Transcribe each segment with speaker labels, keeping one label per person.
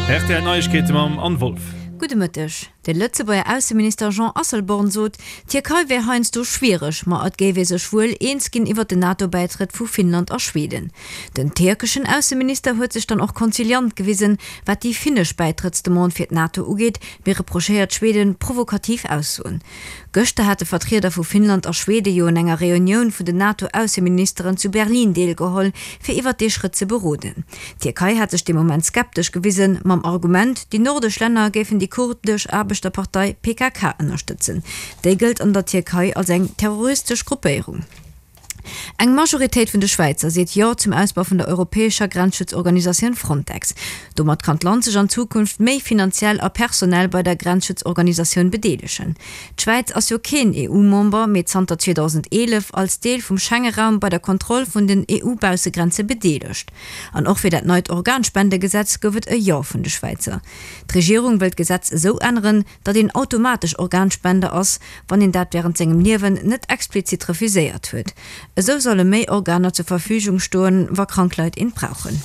Speaker 1: Rtl Neiegkeete mam Anne Wolff.
Speaker 2: Gudde Mëtteg. De Lëtzebuerger Ausseminister Jean Asselborn sot, d'Tierkei wär heiansdo schwiereg, ma et géif ee sech wuel eens ginn iwwer den NATO-Bäitrëtt vu Finnland a Schweden. Den tierkeschen Ausseminister huet sech dann och konziliant gewisen, wat déi finnesch Bäitrëttsdemande fir d'NATO ugeet, mee reprochéiert Schweden provokativ Aussoen. Gëschter hate Vertrieder vu Finnland a Schwede jo un enger Reunioun vun den NATO-Ausseministeren zu Berlin deelgeholl, fir iwwert dee Schrëtt ze beroden. D'Tierkei hat sech dee Moment skeptesch gewisen, mam Argument, déi nordesch Länner géifen déi kurdesch Aarbechterpartei PKK ënnerstëtzen. Déi gëllt an der Tierkei als eng terroristesch Gruppéierung. Eng Majoritéit vun de Schwäizer seet Jo zum Ausbau vun der europäescher Grenzschutzorganisatioun Frontex. Domat kann d'Land sech an Zukunft méi finanziell a personell bei der Grenzschutzorganisatioun bedeelegen. D'Schwäiz ass jo keen EU-Member, mee zanter 2011 als Deel vum Schenge-Raum bei der Kontroll vun den EU-Baussegrenze bedeelegt. An och fir dat neit Organspendegesetz gouf et e Jo vun de Schwäizer. D'Regierung wëll d'Gesetz esou änneren, datt een automatesch Organspender ass, wann een dat wärend sengem Liewen net explizit refuséiert huet. Esou solle méi Organer zur Verfügung stoen, wa krank Leit eent brauchen.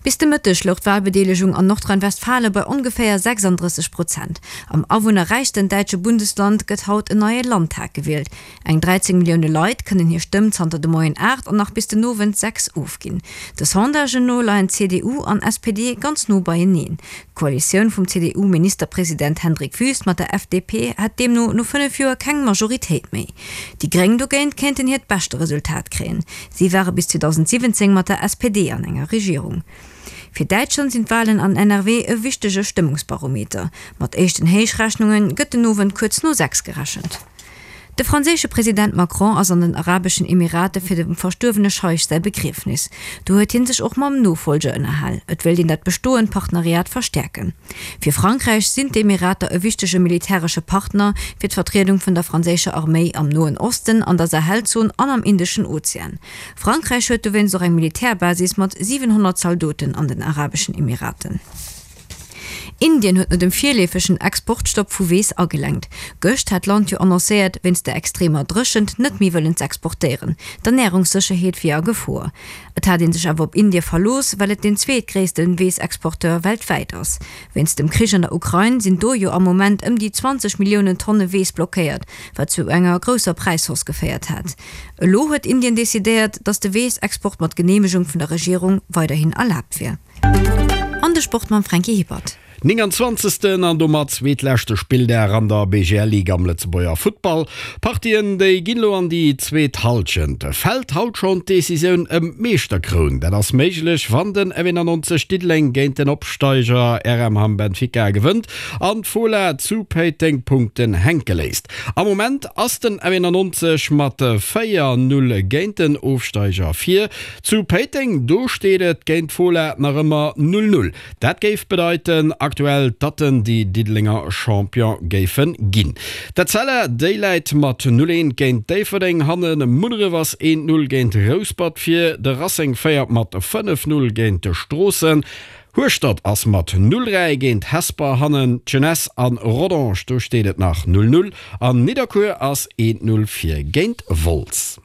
Speaker 2: Bis de Mëtteg louch d'Walbedeelegung an Nordrhein-Westfalen bei ongeféier 36 Prozent. Am awunnerräichsten däitsche Bundesland gëtt haut en neie Landtag gewielt. Eng 13 Millioune Leit kënnen hir Stëmm zanter de Moien 8 an nach bis den Owend 6 ofginn. De Sondagen no leien CDU an SPD ganz no beieneen. D'Koalitioun vum CDU-Ministerpresident Hendrik Wüst mat der FDP hätt deemno no 5 Joer keng Majoritéit méi. Déi Gréng dogéint kéinten hiert beschte Resultat kréien. Si ware bis 2017 mat der SPD an enger Regierung. Fir Däitschland sinn d'Walen an NRW e wichtege Stëmmungsbarometer. Mat éischten Héichrechnunge gëtt den Owend kuerz no 6 gerechent. De franséische President Macron ass an den Arabeschen Emirate fir dem verstuerwene Scheich säi Begriefnis. Do huet hie sech och mam Nofollger ënnerhal. Et wéilt een dat bestoend Partenariat verstäerken. Fir Frankräich sinn d'Emirater e wichtege militäresche Partner fir d'Vertriedung vun der franséischer Arméi am Noen Osten, an der Sahelzon an am Indeschen Ozean. Frankräich huet dowéinst och eng Militärbasis mat 700 Zaldoten an den Arabeschen Emiraten. Indien huet no dem virleefegen Exportstopp vu Weess agelenkt. Gëscht hat d'Land jo annoncéiert, wéinst der extremer Dréchent net méi wëllen z'exportéieren. D'Ernärungssécherheet wier a Gefor. Et hat ee sech awer op Indie verlooss, well et deen zweetgréisste Weessexporteur weltwäit ass. Wéinst dem Krich an der Ukrain sinn do jo am Moment ëm déi 20 Milliounen Tonne Weess blockéiert, wat zu enger grousser Präishausse geféiert hat. Elo huet Indien decidéiert, datt de Weessexport mat Geneemegung vun der Regierung weiderhin erlaabt wier. An de Sport mam Franky Hippert.
Speaker 3: 29. an domat zweetleschte Spilldag an der BGL Ligue am Lëtzebuerger Futtball. Partien déi ginn elo an déi zweet Hallschent. Fält haut schonn d'Decisioun ëm d'Meeschterkroun? Dat ass méiglech wann den F91 Diddeleng géint den Opsteiger RM Hamm Benfica gewënnt an d'Fola zu Péiteng Punkten hänke léisst. Am Moment ass den F91 mat 4, 0 géint den Ofsteiger vir. Zu Péiteng, do steet et géint d'Fola nach ëmmer 0, 0. Dat géif bedeiten aktuell, datt en déi Diddelenger Champion géife ginn. D'Etzella, déi läit mat 0, 1 géint Déifferdeng hannen. Munneref ass 1, 0 géint Rouspert vir. De Racing féiert mat 5, 0 géint Stroossen. Hueschtert ass mat 0, 3 géint Hesper hannen. D'Jeunesse an Rodange, do steet et nach 0, 0. An Nidderkuer ass 1, 0 vir géint Wolz.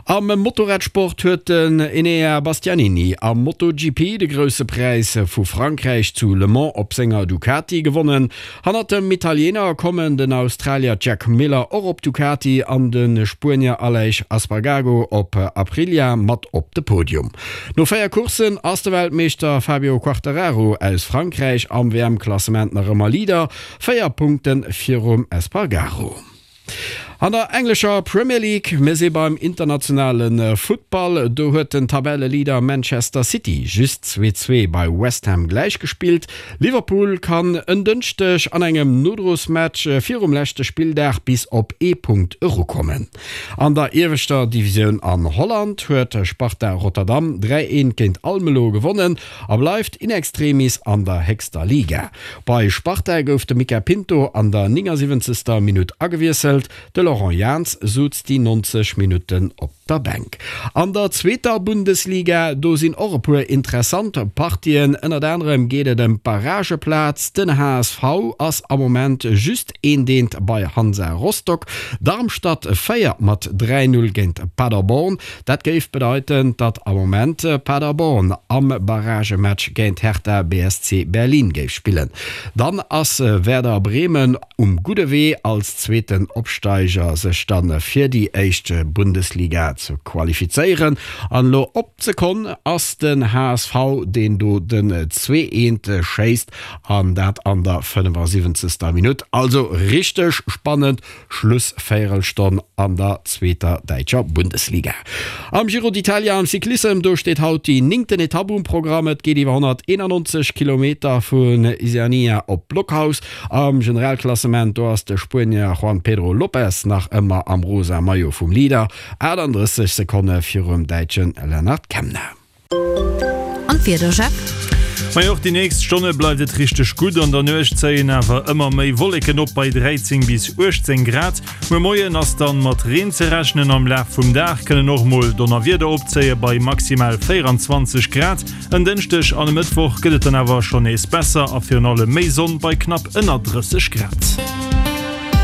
Speaker 3: Am Motorradsport huet den Enea Bastianini am MotoGP de Grousse Präis vu Frankräich zu Le Mans op senger Ducati gewonnen. Hannert dem Italiener kommen den Australier Jack Miller och op Ducati an de Spuenier Aleix Espargaro op Aprilia mat op de Podium. No 4 Courssen ass de Weltmeeschter Fabio Quartararo aus Frankräich am WM-Klassement nach ëmmer Leader, 4 Punkte virum Espargaro. An der englescher Premier League, mir si beim internationale Futtball, do huet den Tabelleleader Manchester City just 2, 2 bei West Ham gläichgespillt. Liverpool kann en Dënschdeg an engem Nodrosmatch virum leschte Spilldag bis op ee Punkt erukommen. An der ieweschter Divisioun an Holland huet Sparta Rotterdam 3, 1 géint Almelo gewonnen a bleift in extremis an der héchster Liga. Bei Sparta gouf de Mica Pinto an der 79. Minutt agewiesselt, de Laurent Jans suz déi 90 Minutten op. der Bänk. An der zweeter Bundesliga, do sinn och e puer interessant Partien. Ënnert anerem geet et ëm d'Barrageplaz. Den HSV ass am Moment just een Deent bei Hansa Rostock. Darmstadt féiert mat 3, 0 géint Paderborn. Dat géif bedeiten, datt am Moment Paderborn am Barragematch géint Hertha BSC Berlin géif spillen. Dann ass Werder Bremen um gudde Wee als zweeten Opsteiger sech dann fir déi éischt Bundesliga ze qualifizéieren. An elo op d'Sekonn ass den HSV deen do den zweeent schéisst an dat an der 75. Minutt. Also richteg spannend Schlussvéierelstonn an der zweeter däitscher Bundesliga. Am Giro d'Italia am Cyclissem, do steet haut déi néngten Etapp um Programm. Et geet iwwer 191 Kilometer vun Isernia op Blockhaus. Am Generalklassement, do ass de Spuenier Juan Pedro Lopez nach ëmmer am rosa Maillot vum Leader, 38 Sekonne virum Däitsche Lennard Kemna.
Speaker 2: An d'Wieder, Jeff?
Speaker 1: Majo, och déi nächst Stonne bleift et richteg gutt. An der Nuecht zéien awer ëmmer méi Wolleken op bei 13 bis 18 Grad. Muer Moien ass dann mat Reen ze rechnen, am Laf vum Dag kënnen och mol Donnerwieder opzéie bei maximal 24 Grad. En Dënschdeg an e Mëttwoch gëtt et dann awer schonn nees besser a virun allem méi Sonn bei knapp ënner 30 Grad.